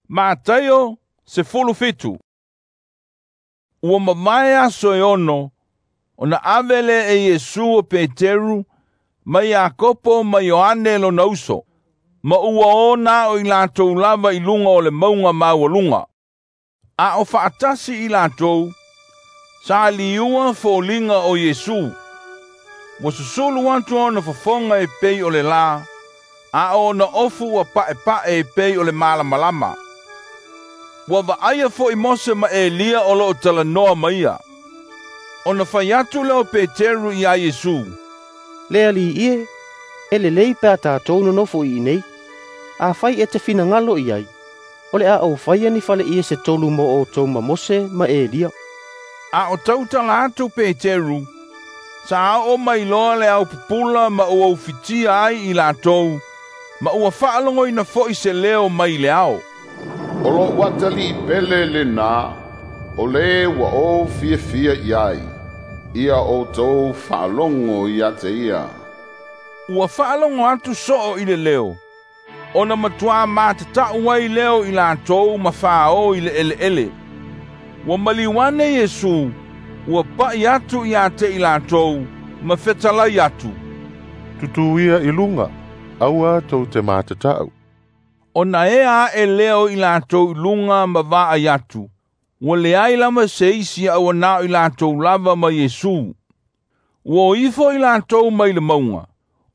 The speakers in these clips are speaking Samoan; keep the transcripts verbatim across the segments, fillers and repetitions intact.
Mataio sefulu fitu. Ua mavae aso e ono, ona ave lea e Iesu o Peteru, ma Iakopo ma Ioane lona uso, ma ua o na o i latou lava i luga o le mauga maualuga. A o faatasi i latou, sa liua foliga o Iesu. Ua susulu atu ona fofoga e pei o le lā, a o ona ofu ua pa'epa'e e pei o le malamalama. Ua vaaia fo'i Mose ma Elia o loo talanoa ma ia. Ona fai atu lea o Peteru iā Iesu, “Le Alii e, e lelei pe a tatou nonofo i inei. Afai e te finagalo i ai, o le a ou faia ni faleie se tolu mo outou ma Mose ma Elia.” A o tautala atu Peteru, sa oo mai loa le aupupula ma ua ufitia ai i latou, ma ua faalogoina fo'i se leo mai le ao. “O lo'u Atalii pele lenā, o le ua ou fiafia i ai. Ia outou faalogo ia te ia.” Ua faalogo atu soo i le leo, ona matuā matata'u ai lea o i latou ma fāō i le eleele. Ua maliu ane Iesu, ua pa'i atu iā te i latou, ma fetalai atu, “Tutū ia i luga, aua tou te matata'u.” Ona ea aʻe lea o i latou i luga ma vaai atu, ua leai lava se isi a ua na o i latou lava ma Iesu. Ua o ifo i latou mai le mauga,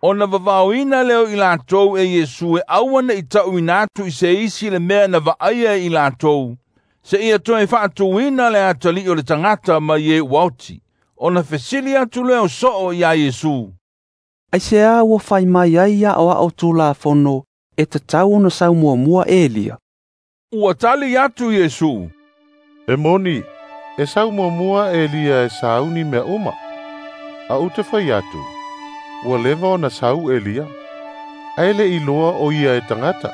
ona vavaoina lea o i latou e Iesu e aua ne'i ta'uina atu i se isi le mea na vaaia e i latou, seia toe faatuina le atalii o le tagata mai e ua oti. Ona fesili atu lea o soo iā Iesu, “Aisea ua fai mai ai aoao Tulafono e tatau ona sau muamua Elia?” Ua tali atu Iesu, “E moni, e sau muamua Elia e sauni mea uma. A ou te fai atu, ua leva ona sau Elia, ae le'i iloa o ia e tagata.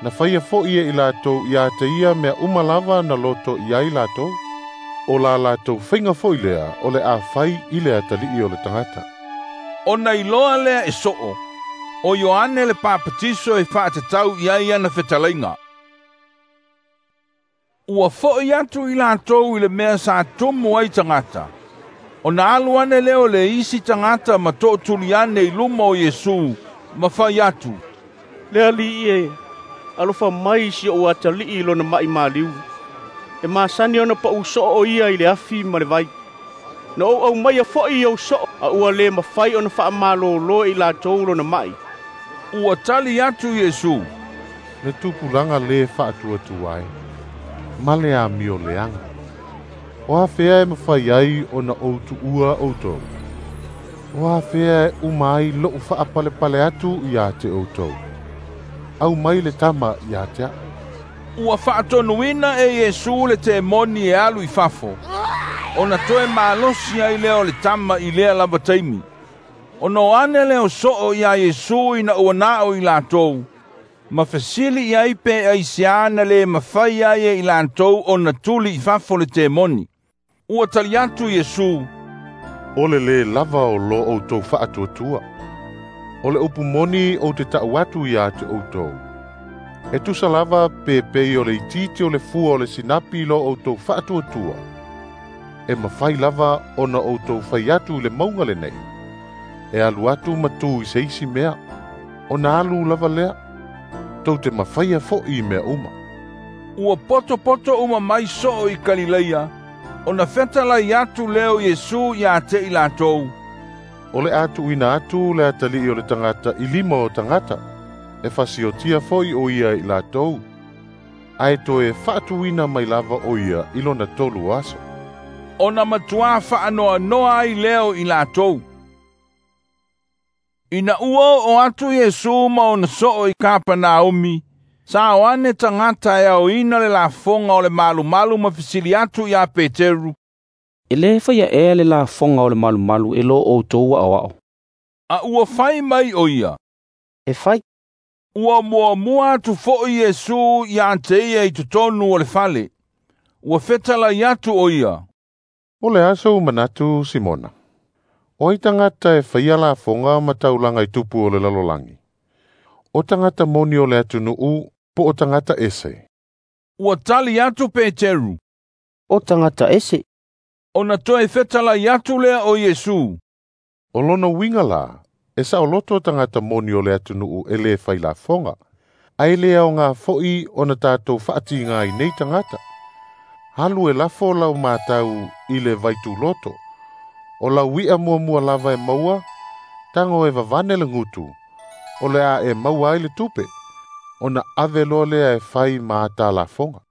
Na faia fo'i e i latou ia te ia mea uma lava na loto i ai latou. O la latou faiga fo'i lea o le a fai i le Atalii o le tagata.” Ona iloa lea e soo, o Ioane le Papatiso e faatatau i ai ana fetalaiga. Ua fo'i atu i latou i le mea sa tumu ai tagata. Ona alu ane lea o le isi tagata ma to'otuli ane i luma o Iesu, ma fai atu, “Le Alii e, alofa mai i si ou atalii i lona ma'i maliu. E masani ona pa'u soo o ia i le afi ma le vai. Na ou aumaia fo'i i ou soo, a ua le mafai ona faamalōlō e i latou lona ma'i.” Ua tali atu Iesu, “Le tupulaga lē faatuatua e, ma le amio leaga. O afea e mafai ai ona ou tuua outou? O afea e uma ai lo'u faapalepale atu iā te outou? Aumai le tama ia te a'u.” Ua faatonuina e Iesu le temoni e alu i fafo, ona toe malosi ai lea o le tama i lea lava taimi. Ona o ane lea o soo iā Iesu ina ua na o i latou, ma fesili i ai pe aiseā na lē mafai ai e i latou ona tuli i fafo le temoni. Ua tali atu Iesu, “O le lē lava o lo outou faatuatua. O le upu moni ou te ta'u atu iā te outou, e tusa lava pe pei o le itiiti o le fua o le sinapi lo outou faatuatua, e mafai lava ona outou fai atu i le mauga lenei, e alu atu ma tu i se isi mea, ona alu lava lea. Tou te mafaia fo'i i mea uma.” Ua potopoto uma mai soo i Kalileia, ona fetalai atu lea o Iesu iā te i latou, “O le a tuuina atu le Atalii o le tagata i lima o tagata, e fasiotia fo'i o ia i latou, ae toe faatuina mai lava o ia i lona tolu o aso.” Ona matuā faanoanoa ai lea o i latou. Ina ua oo atu Iesu ma ona soo i Kapanaumi, sa o ane tagata e aoina le lafoga o le malumalu ma fesili atu iā Peteru, “E lē faia ea le lafoga o le malumalu e lo outou aoao?” A ua fai mai o ia, “E fai.” Ua muamua atu fo'i Iesu iā te ia i totonu o le fale. Ua fetalai atu o ia, “O le a sou manatu, Simona? O ai tagata e faia lafoga ma taulaga i tupu o le lalolagi? O tagata moni o le atunu'u po o tagata ese?” Ua tali atu Peteru, O tagata ese. Ona toe fetalai atu lea o Iesu, O lona uiga lā, e saoloto tagata moni o le atunuu e lē failafoga, ae le aogā fo'i ona tatou faatigā i nei tagata. Alu e lafo lau matau i le vaituloto. O lau i'a muamua lava e maua, tago e vavane le gutu, o le a e maua ai le tupe, ona ave loa lea e fai ma ata lafoga.